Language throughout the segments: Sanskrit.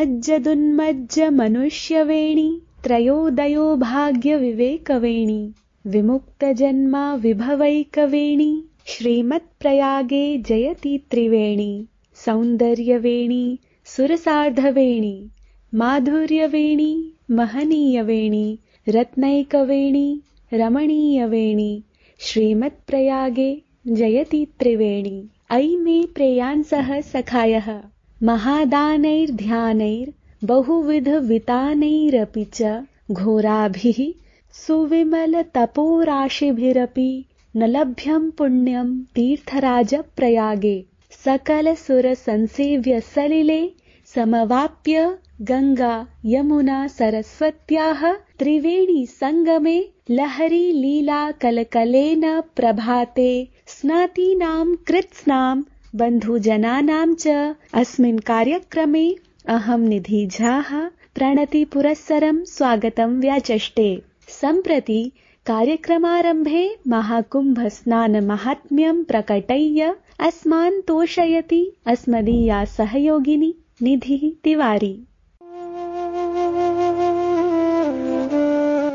मज्जदुन्मज्ज मनुष्यवेणी त्रयोदयो भाग्यविवेकवेणी विमुक्तजन्मा विभवैकवेणी श्रीमत्प्रयागे जयति त्रिवेणी सौन्दर्यवेणी सुरसार्धवेणी माधुर्यवेणी महनीयवेणी रत्नैकवेणी रमणीयवेणी श्रीमत्प्रयागे जयति त्रिवेणी। अयि मे प्रेयांसः सखायः महादानैर्ध्यानैर्बहुविधवितानैरपि च घोराभिः सुविमलतपोराशिभिरपि न लभ्यं पुण्यं तीर्थराजप्रयागे सकलसुरसंसेव्य सलिले समवाप्य गंगा यमुना सरस्वत्याः त्रिवेणी संगमे लहरी लीला कलकलेन प्रभाते स्नातीनां कृत्स्नां बन्धुजनानां च अस्मिन् कार्यक्रमे अहं निधि झाः प्रणति पुरस्सरं स्वागतं व्याचष्टे। सम्प्रति कार्यक्रमारम्भे महाकुम्भस्नानमाहात्म्यं प्रकटय्य अस्मान् तोषयति अस्मदीया सहयोगिनी निधिः तिवारी।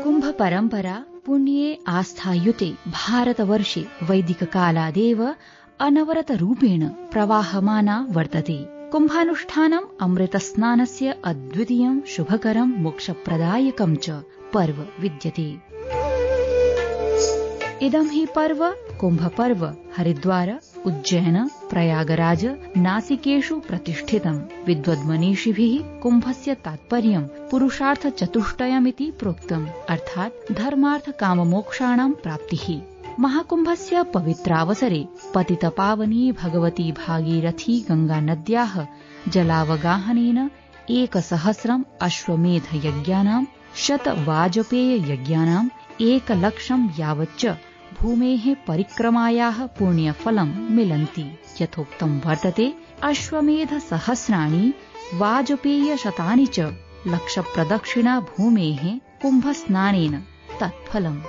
कुम्भ परम्परा पुण्ये आस्थायुते भारतवर्षे वैदिककालादेव अनवरतरूपेण प्रवाहमाना वर्तते। कुम्भानुष्ठानम् अमृतस्नानस्य अद्वितीयं शुभकरं मोक्षप्रदायकं च पर्व विद्यते। इदं हि पर्व कुम्भपर्व हरिद्वार उज्जैन प्रयागराज नासिकेषु प्रतिष्ठितम्। विद्वद्मनीषिभिः कुम्भस्य तात्पर्यं पुरुषार्थचतुष्टयमिति प्रोक्तम्, अर्थात् धर्मार्थ काममोक्षाणां प्राप्तिः। महाकुम्भस्य पवित्रावसरे पतितपावनी भगवती भागीरथी गंगानद्याः जलावगाहनेन 1,000 अश्वमेधयज्ञानां 100 वाजपेययज्ञानां 1,00,000 यावच्च भूमेः परिक्रमायाः पुण्यफलं मिलन्ति। यथोक्तं वर्तते अश्वमेधसहस्राणि वाजपेयशतानि च लक्षप्रदक्षिणा भूमेः कुम्भस्नानेन तत्फलम्।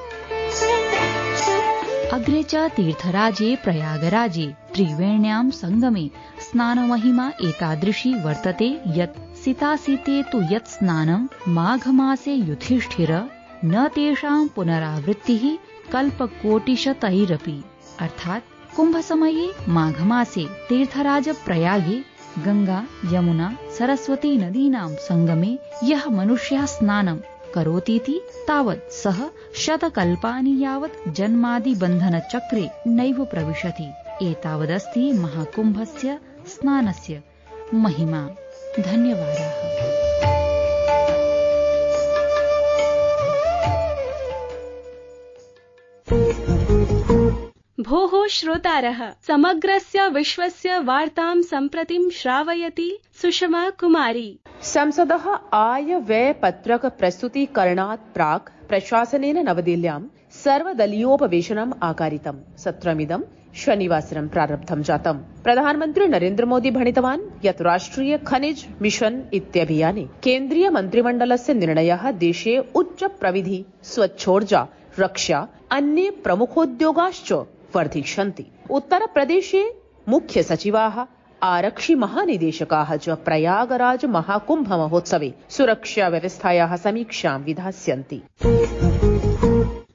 अग्रे च तीर्थराजे प्रयागराजे त्रिवेण्यां संगमे स्नानमहिमा एतादृशी वर्तते यत् सितासीते तु यत् स्नानं माघमासे युधिष्ठिर न तेषां पुनरावृत्तिः कल्पकोटिशतैरपि। अर्थात् कुम्भसमये माघमासे तीर्थराज प्रयागे गंगा यमुना सरस्वती नदीनां संगमे यः मनुष्यः स्नानं करोतीति तावत् सः शतकल्पानि यावत् जन्मादिबन्धनचक्रे नैव प्रविशति। एतावदस्ति महाकुम्भस्य स्नानस्य महिमा। धन्यवादाः। भोः श्रोतारः, समग्रस्य विश्वस्य वार्तां सम्प्रतिं श्रावयति सुषमा कुमारी। संसदः आय-व्यय-पत्रक प्रस्तुतीकरणात् प्राक् प्रशासनेन नवदिल्ल्यां सर्वदलीयोपवेशनम् आकारितम्। सत्रमिदं शनिवासरं प्रारब्धं जातम्। प्रधानमन्त्री नरेन्द्र मोदी भणितवान् यत् राष्ट्रिय खनिज मिशन इत्यभियाने केन्द्रीय मन्त्रिमण्डलस्य निर्णयः देशे उच्च प्रविधि स्वच्छोर्जा रक्षा अन्ये प्रमुखोद्योगाश्च वर्धिष्यन्ति। उत्तरप्रदेशे मुख्य सचिवाः आरक्षि महानिदेशकाः च प्रयागराज महाकुम्भ महोत्सवे सुरक्षा व्यवस्थायाः समीक्षां विधास्यन्ति।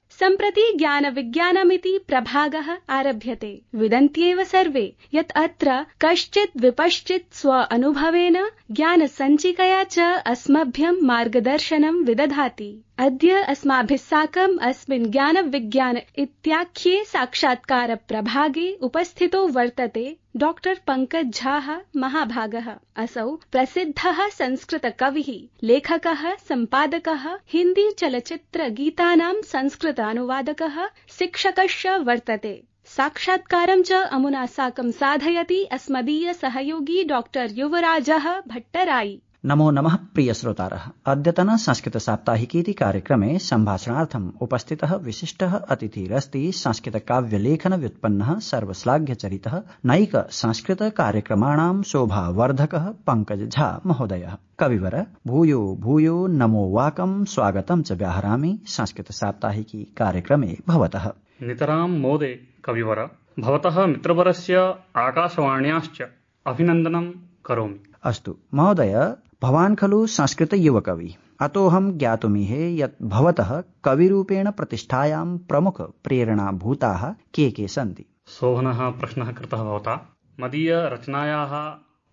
सम्प्रति ज्ञान विज्ञानमिति प्रभागः आरभ्यते। विदन्त्येव सर्वे यत् अत्र कश्चित् विपश्चित् स्व अनुभवेन ज्ञान सञ्चिकया च अस्मभ्यं मार्गदर्शनं विदधाति। अद्य अस्माभिः साकम् अस्मिन् ज्ञान विज्ञान इत्याख्ये साक्षात्कार प्रभागे उपस्थितो वर्तते डॉक्टर पंकज झा महाभागः। असौ प्रसिद्धः संस्कृत कविः, लेखकः, सम्पादकः, हिन्दी चलचित्र गीतानां संस्कृत अनुवादकः, शिक्षकश्च वर्तते। साक्षात्कारं च अमुना साकं साधयति अस्मदीय सहयोगी डॉक्टर युवराजः भट्टराई। नमो नमः प्रिय श्रोतारः। अद्यतन संस्कृत साप्ताहिकीति कार्यक्रमे सम्भाषणार्थम् उपस्थितः विशिष्टः अतिथिरस्ति संस्कृत काव्यलेखन व्युत्पन्नः सर्वश्लाघ्यचरितः नैक संस्कृत कार्यक्रमाणां शोभावर्धकः पंकज झा महोदयः। कविवर भूयो भूयो नमो वाकं स्वागतं च व्याहरामि संस्कृत साप्ताहिकी कार्यक्रमे भवतः। नितरां मोदे कविवर भवतः मित्रवरस्य आकाशवाण्याश्च अभिनन्दनं करोमि। अस्तु महोदय, भवान् खलु संस्कृतयुवकवि, अतोऽहं ज्ञातुमिहे यत् भवतः कविरूपेण प्रतिष्ठायां प्रमुख प्रेरणाभूताः के सन्ति। शोभनः प्रश्नः कृतः भवता। मदीयरचनायाः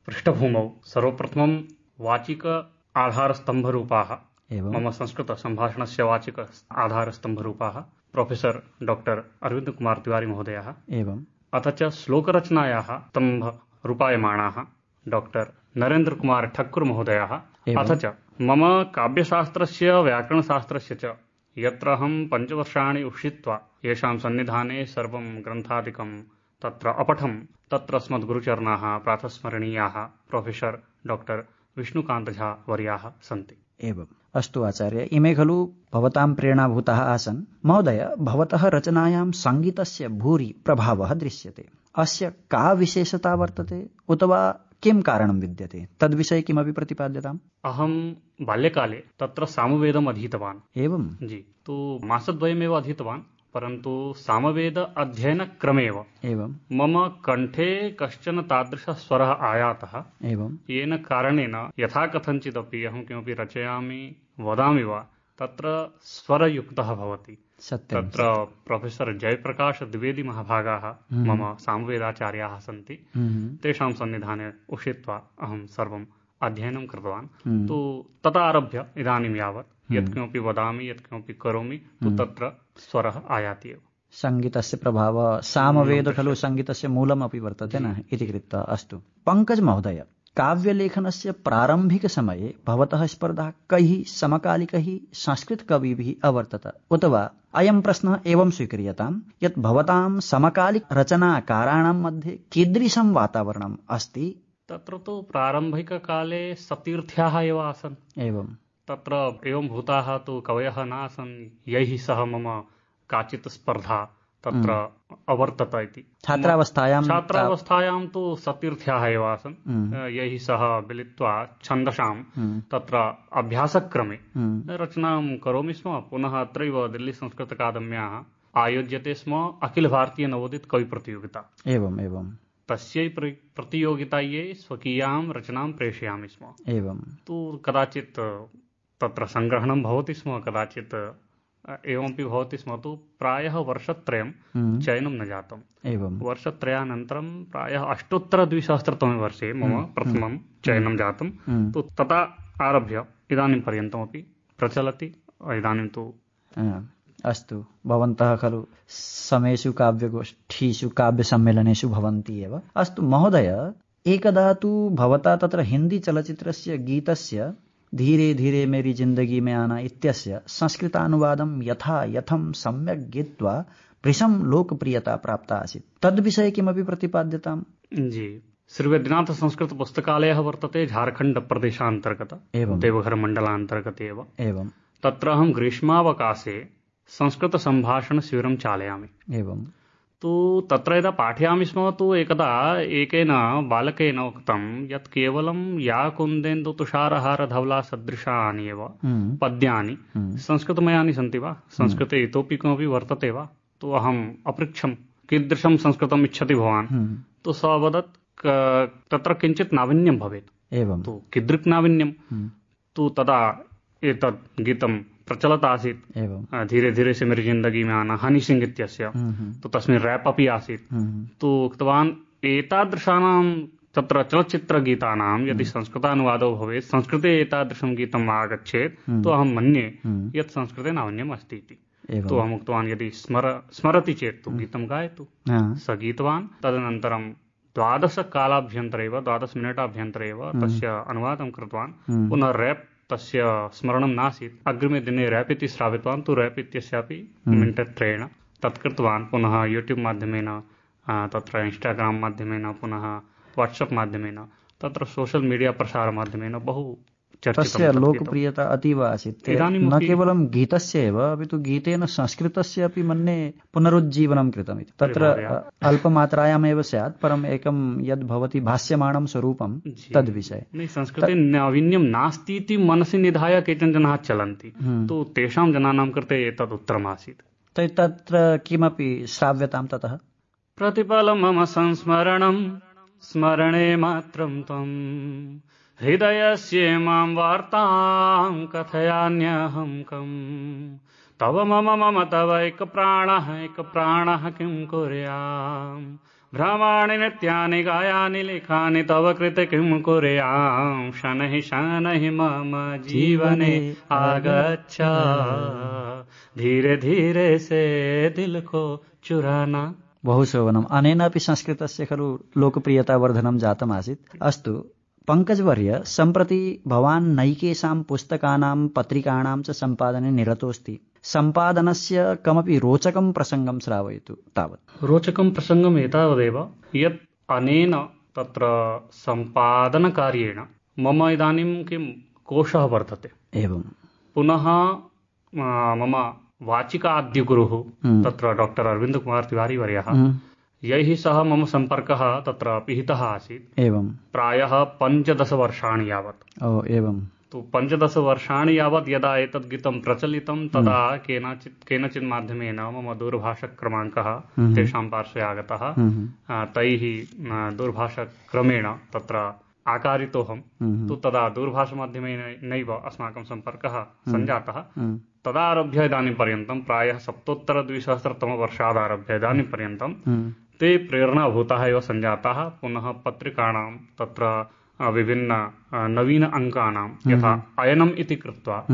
पृष्ठभूमौ सर्वप्रथमं वाचिक आधारस्तम्भरूपाः मम संस्कृतसम्भाषणस्य वाचिक आधारस्तम्भरूपाः प्रोफेसर् डॉक्टर अरविन्द कुमार तिवारी महोदयः एवं अथ च श्लोकरचनायाः स्तम्भरूपायमाणाः डॉक्टर नरेन्द्र कुमार ठक्कुर महोदयः अथ च मम काव्यशास्त्रस्य व्याकरणशास्त्रस्य च यत्र अहं 5 वर्षाणि उषित्वा येषां सन्निधाने सर्वं ग्रन्थादिकं तत्र अपठं तत्र अस्मद्गुरुचरणाः प्रातस्मरणीयाः प्रोफेसर् डॉक्टर विष्णुकान्त झा वर्याः सन्ति। एवम् अस्तु आचार्य, इमे खलु भवतां प्रेरणाभूताः आसन्। महोदय, भवतः रचनायां सङ्गीतस्य भूरि प्रभावः दृश्यते। अस्य का विशेषता वर्तते उत वा किं कारणं विद्यते, तद्विषये किमपि प्रतिपाद्यताम्। अहं बाल्यकाले तत्र सामवेदम् अधीतवान्। एवं जी, तु मासद्वयमेव अधीतवान्, परन्तु सामवेद अध्ययनक्रमेव एवं मम कण्ठे कश्चन तादृशः स्वरः आयातः एवं येन कारणेन यथा कथञ्चिदपि अहं किमपि रचयामि वदामि वा तत्र स्वरयुक्तः भवति। तत्र प्रोफेसर् जयप्रकाश द्विवेदी महाभागाः मम सामवेदाचार्याः सन्ति। तेषां सन्निधाने उषित्वा अहं सर्वम् अध्ययनं कृतवान्। तु तदा आरभ्य इदानीं यावत् यत्किमपि वदामि यत्किमपि करोमि तु तत्र स्वरः आयाति एव। सङ्गीतस्य प्रभावः सामवेद खलु सङ्गीतस्य मूलमपि वर्तते न इति कृत्वा। अस्तु पङ्कज महोदय, काव्यलेखनस्य प्रारम्भिकसमये भवतः स्पर्धा कैः समकालिकैः संस्कृतकविभिः अवर्तत उत वा अयं प्रश्नः एवं स्वीक्रियताम् यत् भवतां समकालिकरचनाकाराणां मध्ये कीदृशं वातावरणम् अस्ति। तत्र तु प्रारम्भिककाले सतीर्थ्याः एव आसन्। एवं तत्र एवं भूताः तु कवयः नासन् यैः सह मम काचित् स्पर्धा तत्र अवर्तत इति। छात्रावस्थायां तु सतीर्थ्याः एव आसन् यैः सह मिलित्वा छन्दसां तत्र अभ्यासक्रमे रचनां करोमि स्म। पुनः अत्रैव दिल्ली संस्कृतकादम्याः आयोज्यते स्म अखिल भारतीय नवोदित कवि प्रतियोगिता। एवं तस्यै प्रतियोगितायै स्वकीयां रचनां प्रेषयामि स्म। एवं तु कदाचित् तत्र सङ्ग्रहणं भवति स्म, कदाचित् एवमपि भवति स्म। तु प्रायः वर्षत्रयं चयनं न जातम्। एवं वर्षत्रयानन्तरं प्रायः 2008 वर्षे मम प्रथमं चयनं जातं। तु तथा आरभ्य इदानीं पर्यन्तमपि प्रचलति। इदानीं तु अस्तु, भवन्तः खलु समेषु काव्यगोष्ठीषु काव्यसम्मेलनेषु भवन्ति एव। अस्तु महोदय, एकदा तु भवता तत्र हिन्दी चलच्चित्रस्य गीतस्य धीरे धीरे मेरी जिन्दगी में आना इत्यस्य संस्कृतानुवादं यथा यथं सम्यक् गीत्वा भृशं लोकप्रियता प्राप्ता आसीत्। तद्विषये किमपि प्रतिपाद्यताम्। जी, श्री वैद्यनाथ संस्कृत पुस्तकालयः वर्तते झारखण्ड प्रदेशान्तर्गत एवं देवघर मण्डलान्तर्गते एवं तत्र अहं ग्रीष्मावकाशे संस्कृत सम्भाषण शिबिरं चालयामि। एवं तु तत्र यदा पाठयामि स्म तु एकदा एकेन बालकेन उक्तं यत् केवलं या कुन्देन्दु तुषारहार धवला सदृशानि एव पद्यानि संस्कृतमयानि सन्ति वा, संस्कृते इतोपि किमपि वर्तते वा। तु अहम् अपृच्छं कीदृशं संस्कृतम् इच्छति भवान्। तु सः अवदत् तत्र किञ्चित् नाविन्यं भवेत्। एवं तु कीदृक् नाविन्यं। तु तदा एतत् गीतं प्रचलत् आसीत्। धीरे धीरे से मेरी जिन्दगी में आना हनी सिंह इत्यस्य। तो तस्मिन् रैप् अपि आसीत्। तु उक्तवान् एतादृशानां तत्र चलच्चित्रगीतानां यदि संस्कृतानुवादो भवेत्, संस्कृते एतादृशं गीतम् आगच्छेत् तो अहं मन्ये यत् संस्कृते नाविन्यम् अस्ति इति। तो अहम् उक्तवान् यदि स्मरति चेत् तु गीतं गायतु। स गीतवान्। तदनन्तरं 12 मिनिटाभ्यन्तरे एव तस्य अनुवादं कृतवान्। पुनः रैप् तस्य स्मरणं नासीत्। अग्रिमे दिने रैप् इति श्रावितवान्। तु रैप् इत्यस्यापि मिनिटत्रयेण तत् कृतवान्। पुनः यूट्यूब् माध्यमेन, तत्र इन्स्टाग्राम् माध्यमेन, पुनः वाट्सप् माध्यमेन, तत्र सोशल् मीडिया प्रसारमाध्यमेन बहु तस्य लोकप्रियता अतीव आसीत्। न केवलं गीतस्य एव अपि तु गीतेन संस्कृतस्य अपि मन्ये पुनरुज्जीवनं कृतमिति। तत्र अल्पमात्रायामेव स्यात्, परम् एकं यद् भवति भाष्यमाणं स्वरूपं तद्विषये। संस्कृते नाविन्यं नास्ति इति मनसि निधाय केचन जनाः चलन्ति। तु तेषां जनानां कृते एतद् उत्तरमासीत्। तत्र किमपि श्राव्यतां ततः। प्रतिपलं मम संस्मरणं स्मरणे मात्रं त्वं हृदयस्य मां वार्तां कथयान्यहं कम् तव मम मम तवैक प्राणः किं कुर्याम् भ्रमाणि नित्यानि गायानि लिखानि तव कृते किं कुर्याम् शनैः मम जीवने आगच्छ धीरे धीरे से दिल को चुराना। बहु शोभनम्। अनेनापि संस्कृतस्य खलु लोकप्रियतावर्धनं जातमासीत्। अस्तु पङ्कजवर्य, सम्प्रति भवान् नैकेषां पुस्तकानां पत्रिकाणां च सम्पादने निरतोऽस्ति। सम्पादनस्य कमपि रोचकं प्रसङ्गं श्रावयतु तावत्। रोचकं प्रसङ्गम् एतावदेव यत् अनेन तत्र सम्पादनकार्येण मम इदानीं किं कोशः वर्तते। एवं पुनः मम वाचिकाद्यगुरुः तत्र डॉक्टर अरविन्द कुमार तिवारी वर्यः, यैः सह मम सम्पर्कः तत्र पिहितः आसीत्। एवं प्रायः 15 वर्षाणि यावत्। एवं तु 15 वर्षाणि यावत् यदा एतद् गीतं प्रचलितं तदा केनचित् माध्यमेन मम दूरभाषक्रमाङ्कः तेषां पार्श्वे आगतः। तैः दूरभाषक्रमेण तत्र आकारितोऽहं। तु तदा दूरभाषमाध्यमेन नैव अस्माकं सम्पर्कः सञ्जातः। तदारभ्य इदानीं पर्यन्तं प्रायः 2017 इदानीं पर्यन्तं ते प्रेरणाभूताः एव सञ्जाताः। पुनः पत्रिकाणां तत्र विभिन्न नवीन अङ्कानां यथा अयनम् इति कृत्वा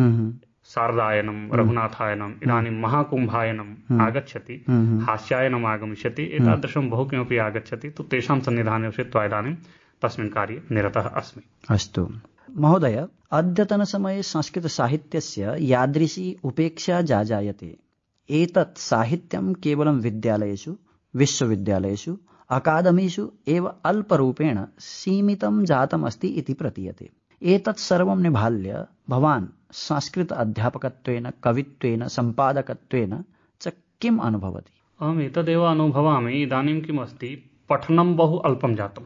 शारदायनं, रघुनाथायनम्, इदानीं महाकुम्भायनम् आगच्छति, हास्यायनम् आगमिष्यति, एतादृशं बहु किमपि आगच्छति। तु तेषां सन्निधाने उषित्वा इदानीं तस्मिन् कार्ये निरतः अस्मि। अस्तु महोदय, अद्यतनसमये संस्कृतसाहित्यस्य यादृशी उपेक्षा जायते। एतत् साहित्यं केवलं विद्यालयेषु, विश्वविद्यालयेषु, अकादमीषु एव अल्परूपेण सीमितं जातमस्ति इति प्रतीयते। एतत् सर्वं निभाल्य भवान् संस्कृत अध्यापकत्वेन, कवित्वेन, सम्पादकत्वेन च किम् अनुभवति? अहम् एतदेव अनुभवामि। इदानीं किम् अस्ति, पठनं बहु अल्पं जातम्।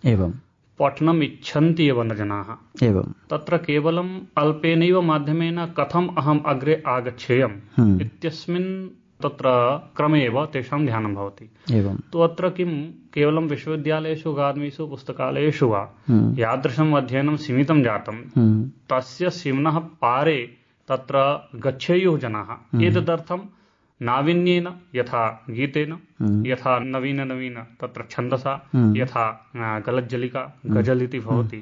एवं पठनम् इच्छन्ति एव न जनाः। एवं तत्र केवलम् अल्पेनैव माध्यमेन कथम् अहम् अग्रे आगच्छेयम् इत्यस्मिन् तत्र क्रमे एव तेषां ध्यानं भवति। एवं तु अत्र किं केवलं विश्वविद्यालयेषु, अकादमीषु, पुस्तकालयेषु वा यादृशम् अध्ययनं सीमितं जातं, तस्य सीम्नः पारे तत्र गच्छेयुः जनाः। एतदर्थं नाविन्येन, यथा गीतेन, यथा नवीन तत्र छन्दसा, यथा गलज्जलिका, गजल् इति भवति,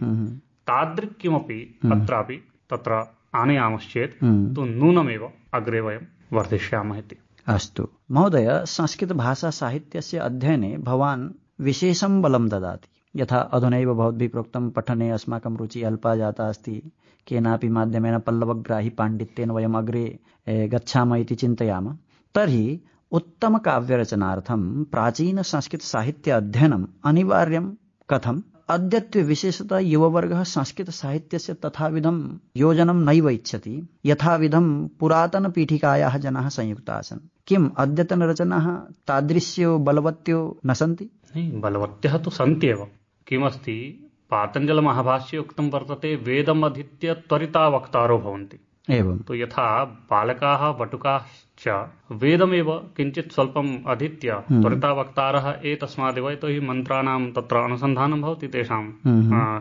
तादृक् किमपि अत्रापि तत्र आनयामश्चेत् तु नूनमेव अग्रे वयं वर्धिष्यामः इति। अस्तु महोदय, संस्कृतभाषासाहित्यस्य अध्ययने भवान् विशेषं बलं ददाति। यथा अधुनैव भवद्भिः प्रोक्तं, पठने अस्माकं रुचिः अल्पा जाता अस्ति, केनापि माध्यमेन पल्लवग्राही पाण्डित्येन वयम् अग्रे गच्छामः इति चिन्तयामः। तर्हि उत्तमकाव्यरचनार्थं प्राचीनसंस्कृतसाहित्य अध्ययनम् अनिवार्यं कथम्? अद्यत्वे विशेषतः युववर्गः संस्कृतसाहित्यस्य तथाविधं योजनं नैव इच्छति, यथाविधं पुरातनपीठिकायाः जनाः संयुक्ताः आसन्। किम् अद्यतनरचनाः तादृश्यो बलवत्यो न सन्ति? बलवत्यः तु सन्त्येव। किमस्ति, पातञ्जलमहाभाष्ये उक्तं वर्तते, वेदम् अधीत्य त्वरिता वक्तारो भवन्ति। एवं तु यथा बालकाः वटुकाश्च वेदमेव किञ्चित् स्वल्पम् अधीत्य त्वरिता वक्तारः एतस्मादेव, यतोहि मन्त्राणां तत्र अनुसन्धानं भवति तेषां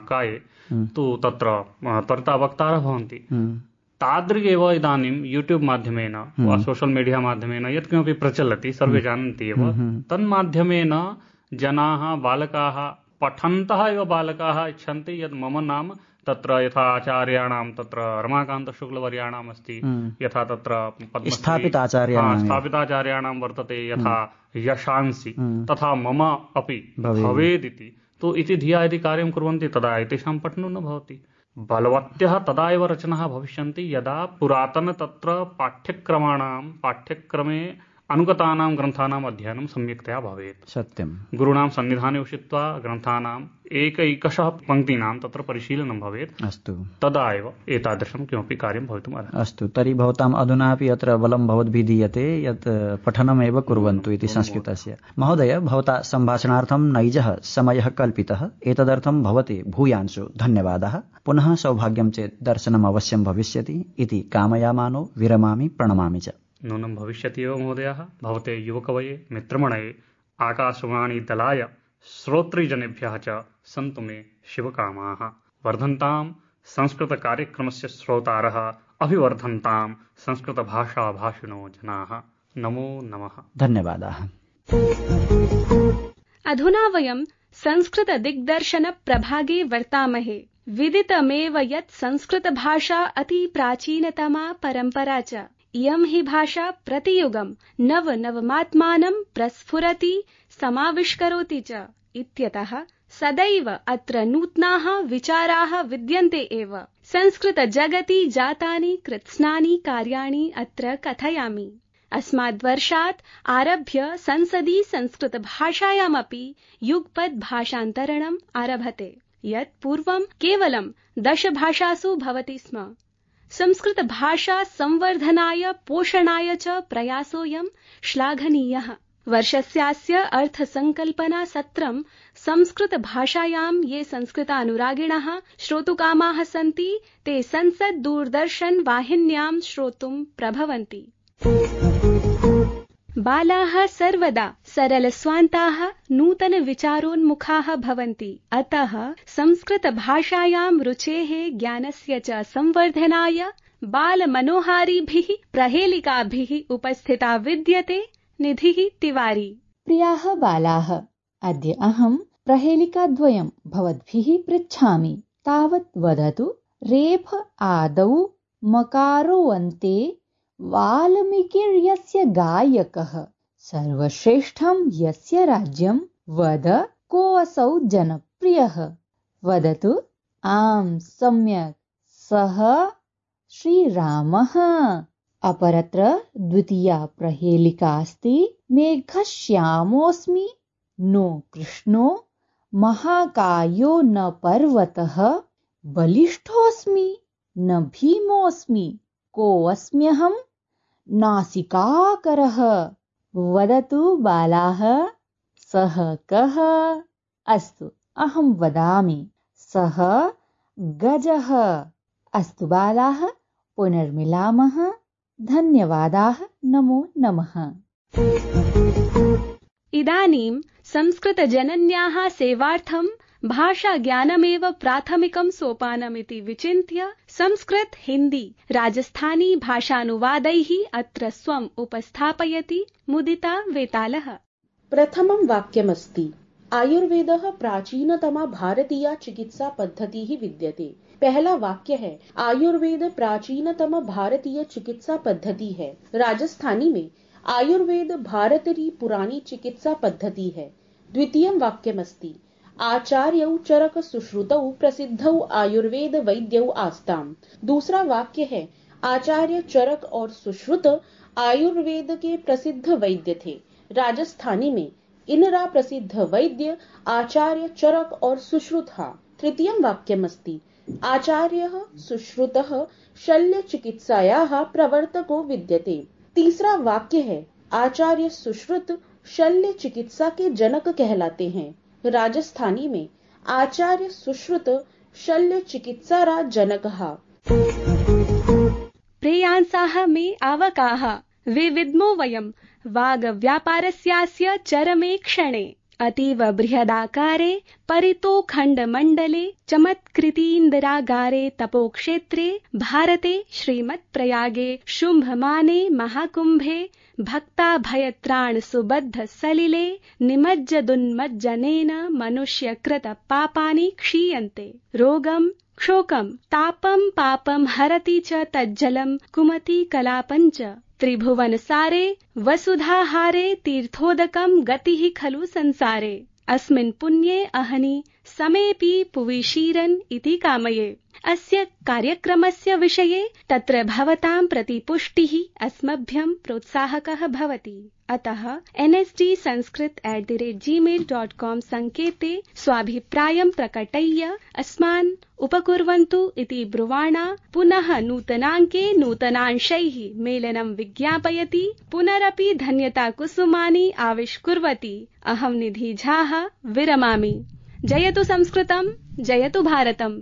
काये, तु तत्र त्वरिता वक्तारः भवन्ति। तादृगेव इदानीं यूट्यूब् माध्यमेन वा सोशल मीडिया माध्यमेन यत्किमपि प्रचलति, सर्वे जानन्ति एव, तन्माध्यमेन जनाः, बालकाः, पठन्तः एव बालकाः इच्छन्ति यत् मम नाम तत्र यथा आचार्याणां तत्र रमाकान्तशुक्लवर्याणाम् अस्ति, यथा तत्र स्थापिताचार्याणां वर्तते, यथा यशांसि, तथा मम अपि भवेदिति। तु इति धिया यदि कार्यं कुर्वन्ति तदा एतेषां पठनं न भवति। बलवत्यः तदा एव रचनाः भविष्यन्ति यदा पुरातन तत्र पाठ्यक्रमे अनुगतानां ग्रन्थानाम् अध्ययनं सम्यक्तया भवेत्। सत्यं। गुरूणां सन्निधाने उषित्वा ग्रन्थानाम् एकैकशः पङ्क्तीनां तत्र परिशीलनं भवेत्। अस्तु, तदा एव एतादृशं किमपि कार्यं भवितुम् अर्हति। अस्तु, तर्हि भवताम् अधुनापि अत्र बलं भवद्भिः दीयते यत् पठनमेव कुर्वन्तु इति संस्कृतस्य। महोदय, भवता सम्भाषणार्थं नैजः समयः कल्पितः, एतदर्थं भवते भूयांशो धन्यवादः। पुनः सौभाग्यं चेत् दर्शनम् अवश्यं भविष्यति इति कामयामानो विरमामि, प्रणमामि च। नूनं भविष्यति एव महोदयः। भवते युवकवये, मित्रमणये, आकाशवाणी दलाय, श्रोतृजनेभ्यः च सन्तु मे शिवकामाः। वर्धन्ताम् संस्कृतकार्यक्रमस्य श्रोतारः अभिवर्धन्ताम् संस्कृतभाषाभाषिणो जनाः। नमो नमः। धन्यवादाः। अधुना वयं संस्कृतदिग्दर्शनप्रभागे वर्तामहे। विदितमेव यत् संस्कृतभाषा अति प्राचीनतमा परम्परा च। इयं हि भाषा प्रतियुगं नवनवमात्मानं प्रस्फुरति समाविष्करोति च इत्यतः सदैव अत्र नूतनाः विचाराः विद्यन्ते एव। संस्कृतजगति जातानि कृत्स्नानि कार्याणि अत्र कथयामि। अस्माद्वर्षात् आरभ्य संसदि संस्कृतभाषायामपि युगपद् भाषान्तरणम् आरभते, यत् पूर्वं केवलं 10 भाषासु भवति स्म। संस्कृतभाषा संवर्धनाय पोषणाय च प्रयासोऽयं श्लाघनीयः। वर्षस्यास्य अर्थसंकल्पना सत्रं संस्कृतभाषायां ये संस्कृतानुरागिणः श्रोतुकामाः सन्ति ते संसद् दूरदर्शन वाहिन्यां श्रोतुं प्रभवन्ति। बालाः सर्वदा सरलस्वान्ताः नूतनविचारोन्मुखाः भवन्ति। अतः संस्कृतभाषायां रुचेः ज्ञानस्य च संवर्धनाय बालमनोहारिभिः प्रहेलिकाभिः उपस्थिता विद्यते निधिः तिवारी। प्रियाः बालाः, अद्य अहं प्रहेलिकाद्वयं भवद्भिः पृच्छामि। तावत् वदतु। रेफ आदौ मकारोऽन्ते वाल्मीकिर्यस्य गायकः, सर्वश्रेष्ठं यस्य राज्यं, वद कोऽसौ जनप्रियः। वदतु। आम्, सम्यक्, सः श्रीरामः। अपरत्र द्वितीया प्रहेलिका अस्ति। मेघश्यामोऽस्मि नो कृष्णो, महाकायो न पर्वतः, बलिष्ठोऽस्मि न भीमोऽस्मि, कोऽस्म्यहं नासिकाकरः। वदतु बालाः, सः कः? अस्तु, अहं वदामि। सः गजः। अस्तु बालाः, पुनर्मिलामः। धन्यवादाः। नमो नमः। इदानीं संस्कृतजनन्याः सेवार्थं भाषाज्ञानमेव प्राथमिकं सोपानमिति विचिन्त्य संस्कृत हिन्दी राजस्थानी भाषानुवादैः अत्र स्वम् उपस्थापयति मुदिता वेतालः। प्रथमं वाक्यमस्ति। आयुर्वेदः प्राचीनतमा भारतीया चिकित्सा पद्धतिः विद्यते। पहला वाक्य है आयुर्वेद प्राचीनतम भारतीय चिकित्सा पद्धति है। राजस्थानी में आयुर्वेद भारतरी पुरानी चिकित्सा पद्धति है। द्वितीयं वाक्यमस्ति। आचार्यौ चरक सुश्रुतौ प्रसिद्धौ आयुर्वेद वैद्यौ आस्ताम्। दूसरा वाक्य है आचार्य चरक और सुश्रुत आयुर्वेद के प्रसिद्ध वैद्य थे। राजस्थानी में इनरा प्रसिद्ध वैद्य आचार्य चरक और सुश्रुत। तृतीयं वाक्यमस्ति। आचार्यः सुश्रुतः शल्य चिकित्सायाः प्रवर्तको विद्यते। तीसरा वाक्य है आचार्य सुश्रुत शल्य चिकित्सा के जनक कहलाते हैं। राजस्थानी में आचार्य सुश्रुत शल्य चिकित्सारा जनकः। प्रेयांसाः मे आवकाः विविद्मो वयं वागव्यापारस्यास्य चरमे क्षणे। अतीव बृहदाकारे परितोखण्डमण्डले चमत्कृतीन्द्रागारे तपोक्षेत्रे भारते श्रीमत्प्रयागे शुम्भमाने महाकुम्भे भक्ताभयत्राण सुबद्ध सलिले निमज्जदुन्मज्जनेन मनुष्यकृत पापानि क्षीयन्ते। रोगं क्षोकं तापं पापं हरति च तज्जलं कुमति कलापं च। त्रिभुवनसारे वसुधाहारे तीर्थोदकं गतिः खलु संसारे। अस्मिन् पुण्ये अहनि समेऽपि पुवि शीरन् इति कामये। अस्य कार्यक्रमस्य विषये तत्र भवतां प्रतिपुष्टिः अस्मभ्यं प्रोत्साहकः भवति। अतः nsdsanskrit@gmail.com सङ्केते स्वाभिप्रायं प्रकटय्य अस्मान् उपकुर्वन्तु इति ब्रुवाणा पुनः नूतनाङ्के नूतनांशैः मेलनं विज्ञापयति पुनरपि धन्यताकुसुमानि आविष्कुर्वति अहं निधि झाः विरमामि। जयतु संस्कृतं, जयतु भारतम्।